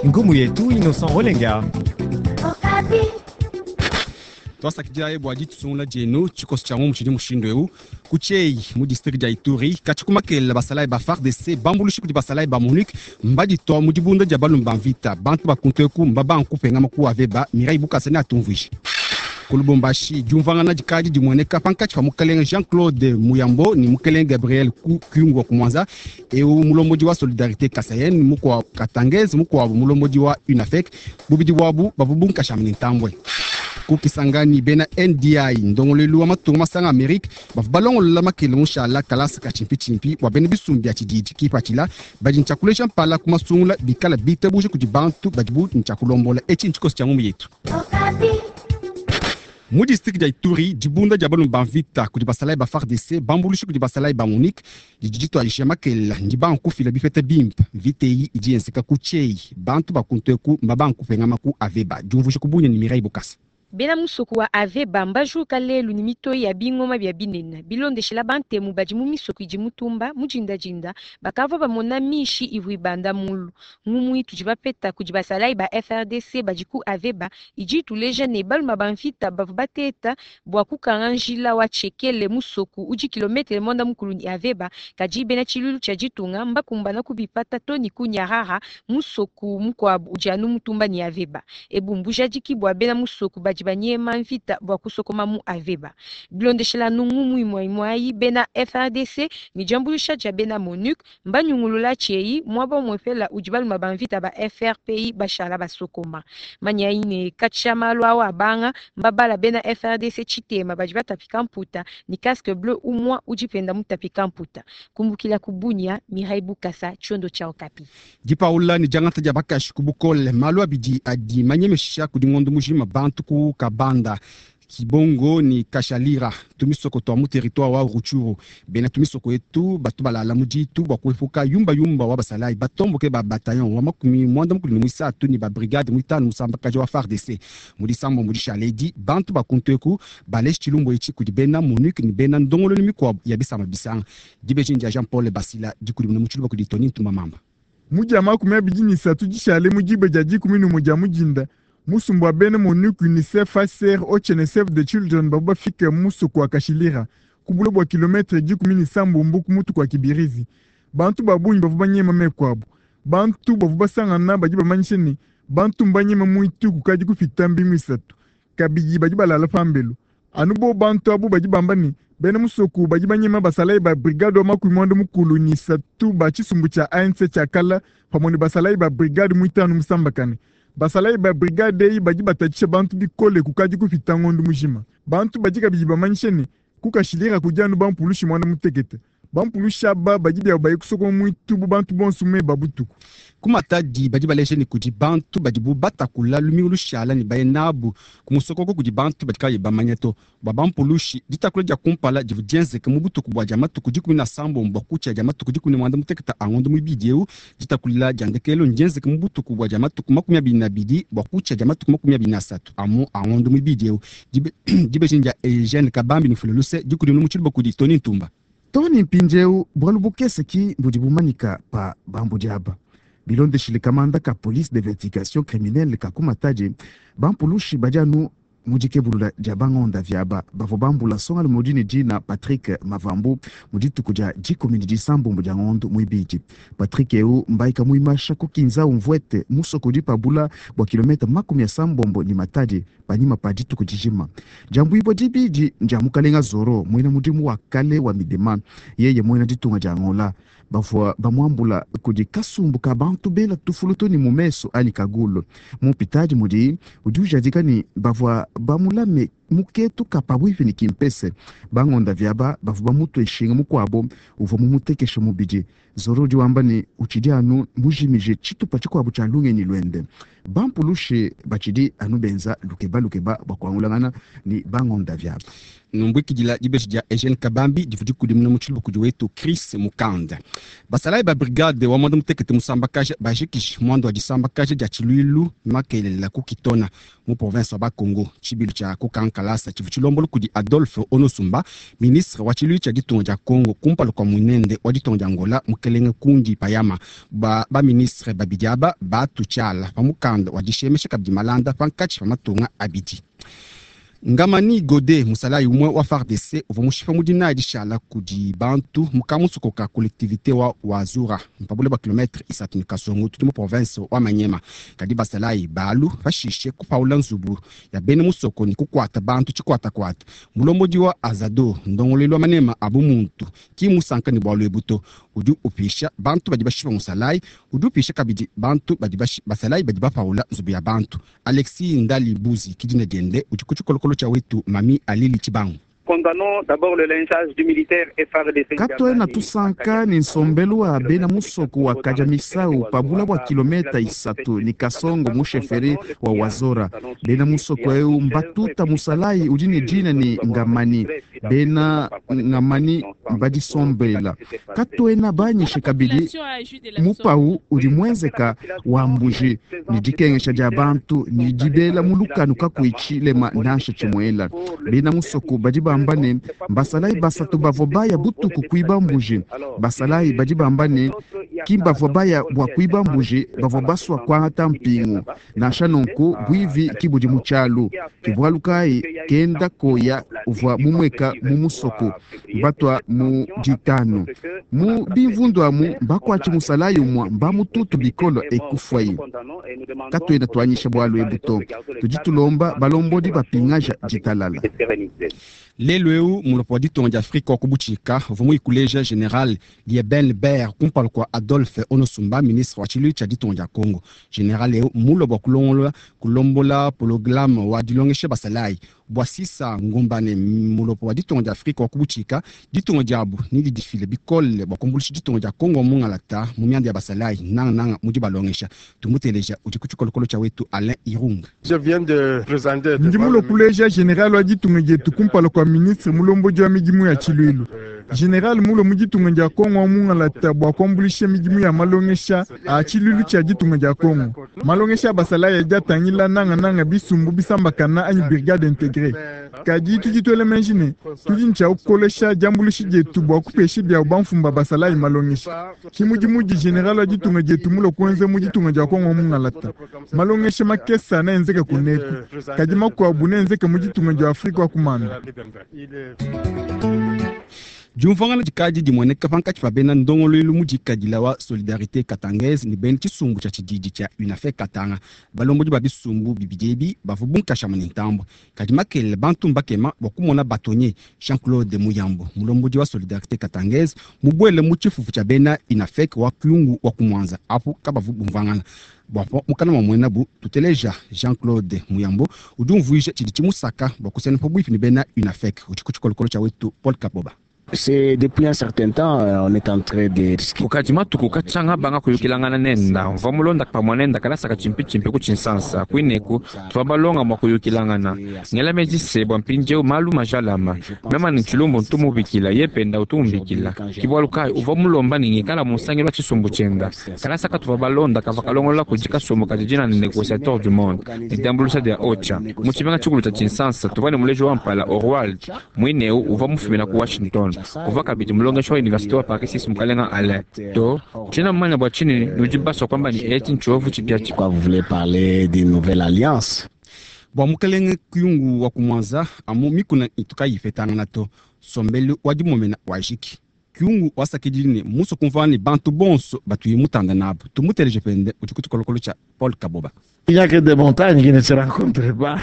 Ngumu yetu Innocent Olenga. Tuasakidilayi bua ditusungula dienu. Tshikoso tshia ngumu tshidi mushindu eu: ku Tshieyi mu district dia Ituri, katshi ku makelela, basalayi ba FARDC bambuluishi kudi basalayi ba MONUC mbaditua mu dibunda dia balumi ba mvita. Bantu ba kuntu eku mbabanga kupengama ku Aveba. Mireille Bukasa neatumvuije. Ku Lubumbashi, diumvuangana dikadi dimueneka pankatshi pa mukalenge Jean-Claude Muyambo ne mukalenge Gabriel Kyungu wa Kumwanza, eu mulombodi wa Solidarite Kasayen mukua Katangese, mukuabu mulombodi wa UNAFEC. Bubidi buabu bavua bunkashama ne ntambue. Ku Kisangani, bena NDI, ndongoluelu wa matunga masanga Amerike, bavua balongolola makele mushala kalasa ka tshimpitshimpi bua bena bisumbu bia tshididi. Kipatshila badi ntshiakuleja mpala ku masungula bikala bitabuje kudi bantu badibu ntshiakulombola. Etshi ntshikoso tshia ngumu yetu. Mu district dia Ituri, dibunda dia balumi ba mvita kudi basalayi ba FARDC bambuluishi kudi basalayi ba MONUC didi dituadija makelela, ndibanga kufila bipeta bimpe. Mvita eyi idi yenzeka ku Tshieyi, bantu ba kuntu eku mbabanga kupengama ku Aveba. Diumvuija ku Bunia ne Mireille Bukasa. Bena musoko wa Aveba mbajuka lelu ne mitoyi ya bingoma bia binene. Bilondeshela bantemu badi mu misoko idi mutumba, mu dindadinda bakavua bamona mishi ivua ibanda mulu. Ngumu itudi bapeta kudi basalayi ba FARDC badi ku Aveba idi ituleja ne baluma ba mvita bavua bateta bua kukanga njila wa Tshekele, musoko udi kilometre 90 ne Aveba, kadi bena tshiluilu tshia ditunga mbakumbana kubipata to ne ku Nyarara, musoko mukuabu udi anu mutumba ne Aveba. Ebu mbujadiki bua bena musoko badi banyema mvita bua kusokoma mu Aveba. Bilondeshela anu ngumu imue imue ayi, bena FARDC ne diambuluisha dia bena MONUC mbanyungulula Tshieyi, muaba umuepela udi baluma ba mvita ba FRPI bashala basokoma. Manyayi ne katshia malu awa abanga, mbabala bena FARDC tshitema badi batapika mputa ne casque bleu umua udi penda mutapika mputa. Kumbukila ku Bunia, Mireille Bukasa, tshiondo tshia Okapi. Dipaula ne diangata dia bakashi ku bukole, malu abidi adi manyemesha kudi ngondo mujima bantu ku Kabanda, Kibongo ne Kashalira, tumisoko tua mu territoire wa Rutshuru. Bena tumisoko etu batu balala mu ditu bua kuepuka yumbayumba wa basalayi batomboke ba bataillon wa 43 ne ba brigade 5 musambakaja wa FARDC. Mu disambombo dishala edi, bantu ba kuntu eku baleshi tshilumbu etshi kudi bena MONUC ne bena ndongoluelu mikuabu ya bisamba bisanga. Dibeji ndia Jean Paul Basila, dikudimuna mu tshiluba kudi Tony Ntumba Mamba. Mu dia 23 dishale mu diba dia 11 dia mudinda, musumba wa bena MONUC, UNICEF, HCR, OCHA ne Save the Children bavua bafike mu musoko wa Kashilira, ku bule bua kilometre 17 ku mutu kua Kibirizi. Bantu ba bungi bavua banyema meku abu. Bantu bavua basangana badi bamanyisha ne, bantu mbanyema muitu kukadi kupita mbingu 3. Kabidi badi balala pambelu. Anu bo bantu abu badi bamba ne, bena musoko badi banyema basalayi ba brigade wa 93 ba tshisumbu tshia ANC tshia kala pamue ne basalayi ba brigade 5 musambakane. Basalayi ba brigade eyi badi batatshisha bantu bikole kukadi kupita ngondo mujima. Bantu badi kabidi bamanyisha ne, ku Kashilira kudi anu bampulushi 16. Bampulushi aba badi biabo baye kusokoma muitu bu bantu bonso meba butuku. Ku Matadi badi baleja ne kudi bantu badibu batakula lumingu lushala ne baye nabu ku musokoko kudi bantu badi kabayi bamanya to. Bua bampulushi, ditakula dia kumpala divua dienzeke mu butuku bua dia matuku 17 bua kutshia dia matuku 18 a ngondo muibidi eu. Ditakulila dia ndekelu ndienzeke mu butuku bua dia matuku 22 bua kutshia dia matuku 23 amu a ngondo muibidi eu. Dibeji ndia Eugene Kabambi Nufule Luse, dikudimuna mu tshiluba kudi Tony Ntumba. Tony mpindieu bualu bukese ki budi bumanyika pa bambudi aba. Bilondeshile kamanda ka police d'investigation criminelle ka ku Matadi, bampulushi badi anu mu dikebulula dia bangonda viaba bavua bambula nsongalume udi ne dina Patrick Mavambu mu dituku dia 19 dia ngondo muibidi. Patrick eu mbaika muimasha ku Kinzau Mvuete, musoko udi pabula bua kilometa 80 ne Matadi panyima pa dituku dijima. Diambuibua dibidi ndia mukalenga Zoro, muena mudimu wa kale wa Midema, yeye muena ditunga dia Angola. Bavua bamuambula kudi kasumbu ka bantu bela tufulu to ne mu meso anyi kagulu. Mu mpitadi mudi udi ujadika ne bavua bamulame muketu ka pabuipi ne Kimpese. Bangonda viaba bavua bamutue nshinga mukuabo uvua mumutekeshe mubidi. Zoro udi wamba ne utshidi anu mujimije tshitupa tshikuabu tshia lungenyi luende. Bampulushi batshidi anu benza lukeba lukeba bua kuangulangana ne bangonda viaba. Numbuikidila dibeji dia Eugene Kabambi divua dikudimuna mu tshiluba kudi wetu Chris Mukanda. Basalayi ba brigade wa 16 musambakaja bajikiji muanda wa disambakaja dia tshiluilu makelela ku Kitona mu province wa Bakongo, tshibilu tshia kukanka. kalasa tshivua tshilombola kudi Adolphe Onusumba, ministre wa tshiluilu tshia ditunga dia Congo kumpala kua muinende wa ditunga dia Angola Mukelenge Kundi Payama. Ba ba-ministre babidi aba batu tshiala pa mukanda wa dishemesha kabidi malanda pankatshi pa matunga abidi. Ngamani Gode, musalayi umue wa FARDC uvua mushipa mu dinayi dishala kudi bantu mu kamusoko ka collectivité wa Wazura pa bule bua kilometre isatu ne kasongo tudi mu province wa Maniema. Kadi basalayi balu pashishe kupaula nzubu ya bena musoko ne kukuata bantu tshikuatakuata. Mulombodi wa Azado, ndongoluelu wa manema a bumuntu, ki musanka ne bualu ebu to. Udi upisha bantu badi bashipa musalayi, udi upisha kabidi bantu badi basalayi badi bapaula nzubu ya bantu. Alexis Ndali Buzi ki dina diende, udi ku tshikolokolo tshia wetu Mami Alili Tshibangu. Katuena tusanka ne nsombelu wa bena musoko wa Kadiamisau pa bula bua kilometa isatu ne Kasongo mu sheferi wa Wazora. Bena musoko eu mbatuta musalayi udi ne dina ne Ngamani. Bena Ngamani mbadisombela. Katuena banyishe kabidi mupau udi muenzeka wa mbuji ne dikengesha dia bantu ne dibela mu lukanu kakuyi tshilema nansha tshimuela. Bena musoko badi bamba ne basalayi basatu bavua baya butuku kuiba mbuji. Basalayi badi bamba ne ki bavua baya bua kuiba mbuji, bavua basua kuangata mpingu. Nansha nunku buivi ki budi mu tshialu. Ke bualu kayi kenda koya uvua mumueka mu musoko batwa mu ditanu mu bimvundu amu mbakuatshi musalayi umua mbamututu bikolo ekufwayi. Katuena tuanyisha bualu ebu to, tudi tulomba balombodi bapingaja ditalala. Lelu eu mulopo wa ditunga dia Afrika wa kubutshika uvua muyikuleja General Lieben Ber kumpala kua Adolphe Onusumba, ministre wa tshiluilu tshia ditunga dia Congo. General eu mulua bua kulongolola kulombola programme wa dilongesha basalayi bua sisa ngumbane. Mulopo wa ditunga dia Afrika wa kubutshika ditunga diabu ne didifile bikole bua kuambuluisha ditunga dia Congo mungalata mu mianda ya basalayi nangananga mu dibalongesha. Tumuteleja udi ku tshikolokolo tshia wetu Alain Irung. Ndi mulue kuleja general wa ditunga dietu kumpala kua ministre mulombodi wa midimu ya tshiluilu. General mulue mu ditunga dia Kongo wa mungalata bua kuambuluisha midimu ya malongesha a tshiluilu tshia ditunga dia Kongo. Malongesha a basalayi adi atangila nangananga bisumbu bisambakana anyi brigade intégrée. Kadi tudi tuela meji ne tudi ne tshia kukolesha diambuluisha dietu bua kupesha biabu bamfumu ba basalayi malongesha. Ki mudimu udi general wa ditunga dietu mulue kuenza mu ditunga dia Kongo wa mungalata. Malongesha makese neenzeke kuneku, kadi makuabu neenzeke mu ditunga dia Afrika wa kumanda. Diumvuangana dikadi dimueneka pankatshi pa bena ndongoluelu mu dikadila wa Solidarité Katangaise ne bena tshisumbu tshia tshididi tshia UNAFEC Katanga. Balombodi ba bisumbu bibidi ebi bavua bunkashama ne ntambue. Kadi makelela bantu mbakema bua kumona batonye Jean-Claude Muyambo, mulombodi wa Solidarité Katangaise, mubuele mu tshifufu tshia bena UNAFEC wa Kyungu wa Kumwanza. Apu kabavu bumvuangana. Bua mukana wa muenabu tuteleja Jean-Claude Muyambo udi umvuija tshidi tshimusaka bua kusena pabuipi ne bena UNAFEC. Udi ku tshikolokolo tshia wetu Paul Kaboba. C'est depuis un certain temps, on est en train de discuter. Kukadi matuku katshanga banga kuyukilangana nenda mvua mulonda pamue nenda kalasaka tshimpi ku tshinsansa kuineku tuvua balonga mua kuyukilangana ngela meji se bua mpindieu malu majalama mema ne tshilumbu ntumubikila ye penda utumubikila ke bualu kayi uvua mulomba ne ngikala musangelu wa tshisumbu tshienda kalasaka tuvua balonda kavua kalongolola kudi kasumbu kadi dina ne négociateur du monde ne diambuluisha dia OCHA mu tshimenga tshikulu tshia tshinsansa tuvua ne muleji wa mpala Orwald muineu uvua mufumina ku Washington. Uvua kabidi mulongeshi wa université wa Paris 6 mukalenga Alain to tshiena mumanya bua tshinyi nudi basua kuamba ne etshi ntshiovu tshipiatshipia. Pourquoi vous voulez parler d'une nouvelle alliance? Bua mukelenge Kyungu wa Kumwanza amu mikuna itu kayipetangana to sombelu wa dimomena wajiki. Kyungu wasakidile ne musue kumvuana ne bantu bonso batuye mutanda nabu. Tumuteleje pende udi ku tshikolokolo tshia Paul Kaboba. Il n'y a que des montagnes qui ne se rencontrent pas.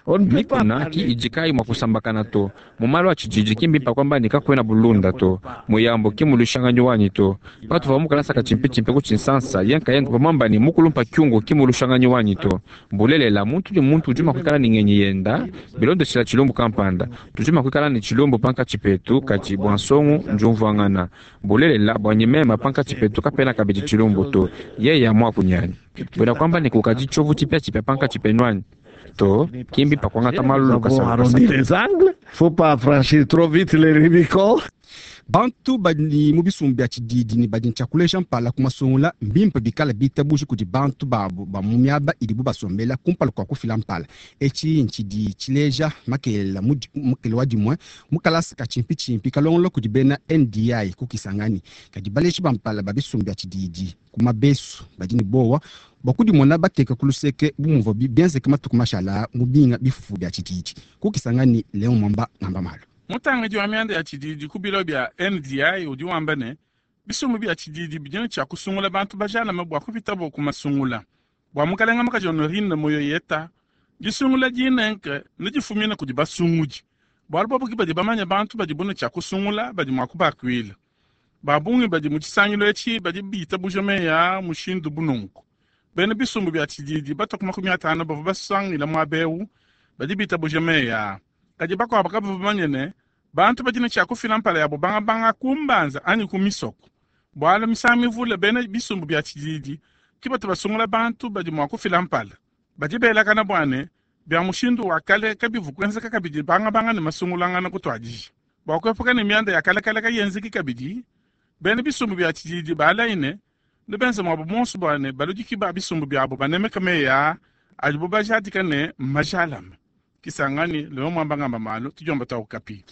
On ne peut pas Mikuna ki idi kayi mua kusambakana to mu malu a tshididi ki mbimpe kuamba ne kakuena bulunda to muyambo ki mulushanganyi wanyi to patuvua mukalasaka tshimpitshimpi ku tshinsansa ye nkayende uvua ne mukulumpa kyungu ki mulushanganyi wanyi to mbulelela muntu ne muntu udi mua kuikala ne ngenyi yenda bilondeshela tshilumbu kampanda tudi mua kuikala ne tshilumbu pankatshi petu kadi bua nsongu ndiumvuangana mbulelela bua nyimema pankatshi petu kapena kabidi tshilumbu to yeya muakunyanyi buena kuamba ne kukadi tshiovu tshipiatshipia pankatshi penu anyi to kimbi pa kuangata malu Nous avons lukasa lukasa arrondi les angles. Faut pas franchir trop vite les Rubicon. Bantu badi mu bisumbu bia tshididi ne badi ntshia kuleja mpala ku masungula mbimpe bikala bitabuji kudi bantu babu ba mu miaba idibu basombela kumpala kua kufila mpala. Etshi ntshidi tshileja makelela mukele wa dimue mu kalasa ka tshimpitshimpi kalongolola kudi bena NDI ku Kisangani. Kadi baleji ba mpala ba bisumbu bia tshididi ku mabesu badi ne bowa bua kudimona bateka ku luseke bu muvua bienzeke matuku mashala mu binga bifufu bia tshididi. Ku Kisangani, Leon Mwamba ngamba malu. Mutangidi wa mianda ya tshididi ku bilo bia NDI udi wamba ne, bisumbu bia tshididi bidi ne tshia kusungula bantu bajalame bua kupitabo ku masungula. Bua mukalenga mukaji Honorine Moyoyeta, disungula dinenke nedifumine kudi basungudi. Bualu bobu ke badi bamanye bantu badibu ne tshia kusungula badi mua kubakuila. Ba bungi badi mu tshisangilu etshi badi bitabuja meyi aa mushindu bu nunku. Bena bisumbu bia tshididi batua ku 50 bavua basangila muaba eu badi bitabuja meyi aa. Kadi bakuabu kabavua bamanye ne, bantu badi ne tshia kufila mpala yabo bangabanga ku mbanza anyi ku misoko. Bualu misangu mivule bena bisumbu bia tshididi ke batu basungula bantu badi mua kufila mpala. Badi belakana bua ne, bia mushindu wa kale kabivu kuenzeka kabidi bangabanga ne masungulangana kutuadija. Bua kuepuka ne mianda ya kalekale kayenzeki kabidi, bena bisumbu bia tshididi balayi ne, nebenze muabu muonso bua ne baludiki ba bisumbu biabo banemeke meyi aa adibu bajadika ne mmajalame. Kisangani, Leon Mwamba ngamba malu, tudiomba tua Okapi.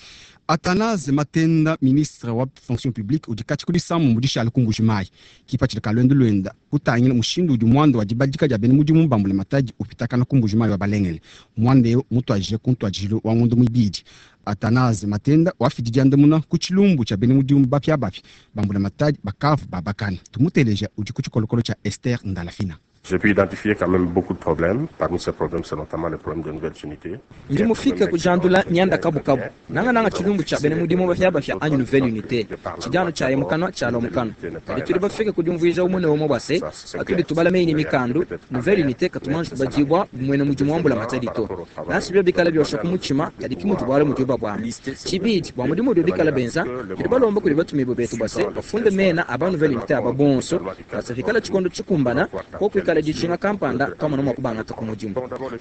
Athanase Matenda, ministre wa fonction publique, udi katshi ku disambu mu dishala ku Mbuji-Mayi. Kipatshila ka luendu luenda kutangila mushindu udi muanda wa dibadika dia bena mudimu ba mbulamatadi upitakana ku Mbuji-Mayi wa Balengele. Muanda eu mutuadije ku ntuadijilu wa ngondo muibidi. Athanase Matenda wafidi diandamuna ku tshilumbu tshia bena mudimu bapiabapia ba mbulamatadi bakavu babakana. Tumuteleja udi ku tshikolokolo tshia Esther Ndalafina. J'ai pu identifier quand même beaucoup de problèmes. Parmi ces problèmes, c'est notamment le problème de nouvelles unités. Ndi mufike kujandula mianda kabukabu nangananga tshilumbu tshia bena mudimu bapiabapia anyi nouvelle unité tshidiano tshia mukano tshialua mukano. Kadi tudi bafike kudiumvuija umue ne umue bua se patudi tubala meyi ne mikandu nouvelle unité katumanji tubadibua bu muena mudimu wa mbulamatadi to. Nansi bio bikala biosha ku mutshima kadi ki mutu bualu mudibu babuamba. Tshibidi bua mudimu udibu bikala benza tudi balomba kudi batumibue betu bua se bafunde mena a ba nouvelle unité aba bonso bua se pikala tshikondo tshikumbana koku ikala dijinga kampanda twamona mua kubangata ku mudimu.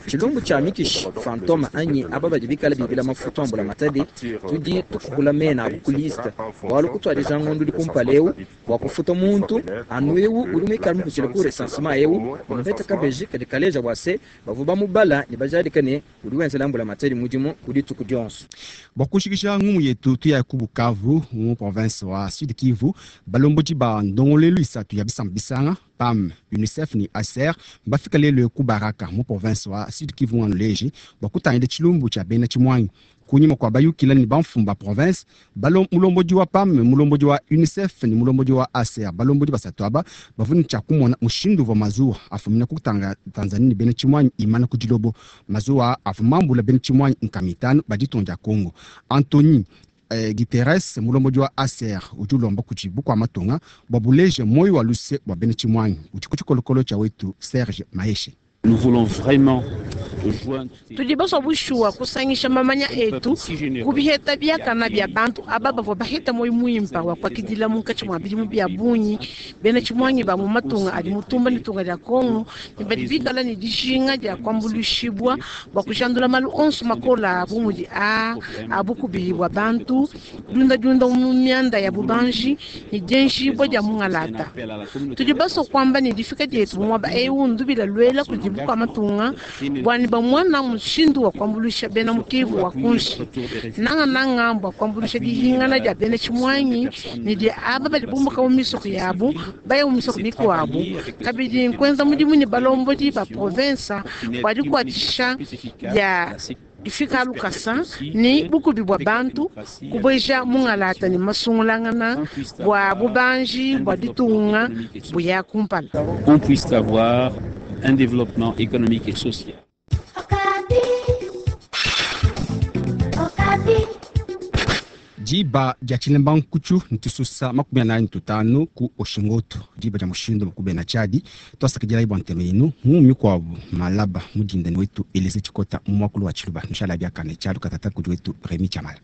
Tshilumbu tshia mikishi fantome anyi aba badi bikala bibila mafutu a mbulamatadi tudi tukukula mena abu ku liste bualu kutuadija ngondo udi kumpala eu bua kufuta muntu anu eu udi muikale mupitshile ku recensement eu bamupeta kabeji kadi kaleja bua se bavua bamubala ne bajadika ne udi wenzela mbulamatadi mudimu ku dituku dionso. Bua kushikisha ngumu yetu tuya ku Bukavu mu province wa Sud Kivu, balombodi ba ndongoluelu isatu ya bisamba bisanga PAM, UNICEF ne ACER mbafika lelu ku Baraka mu province wa Sud Kivu nganu bua kutangila tshilumbu tshia bena tshimuangi. Kunyima kua bayukila ne bamfumu ba province, mulombodi wa PAM, mulombodi wa UNICEF ne mulombodi wa ACER, balombodi basatu aba bavua ne tshia kumona mushindu uvua mazuwa afumina ku Tanzania ne bena tshimuangi imana ku dilobo. Mazuwa avua mambula bena tshimuangi nkama itanu ba ditunga dia Congo. Anthony Guterres, mulombodi wa ACER, udi ulomba kudi bukua matunga bua buleje moyo wa luse bua bena tshimuangi. Udi ku tshikolokolo tshia wetu Serge Maheshe. Nous voulons vraiment joindre tudi basua bushuwa kusangisha mamanya etu kubiheta biakana bia bantu aba bavua baheta moyo muimpa wa kuakidila munkatshi mua bidimu bia bungi bena tshimuangi ba mu matunga adi mutumba ne tunga dia Kongo ne badi bikala ne dijinga dia kuambuluishibua bua kujandula malu onso makola abu mudi a abukubi bua bantu diundadiunda mu mianda ya bubanji ne dienjibua dia mungalata. Tudi basua kuamba ne difika dietu mu muaba eu ndubila luela kudi bukua matunga bua ne bamona mushindu wa kuambuluisha bena mu Kivu wa kunshi nangananga bua kuambuluisha dihingana dia bena tshimuangi ne dia aba badi bumbuka mu misoko yabu baya mu misoko mikuabu. Kabidi nkuenza mudimu ne balombodi ba province bua dikuatshisha dia difika lukasa ne bukubi bua bantu kubueja mungalata ne masungulangana bua bubanji bua ditunga buya kumpala. On puisse avoir un développement économique et social. Diba dia tshilemba nkutshu ntususa 45 ku Oshingoto, diba dia mushindu makubena tshadi twasakidila bua ntema yenu mu mikuabu malaba mudindani wetu Elise Tshikota mu mwakulu wa Tshiluba nushala biakane tshialu katata kudi wetu Remy Chamala.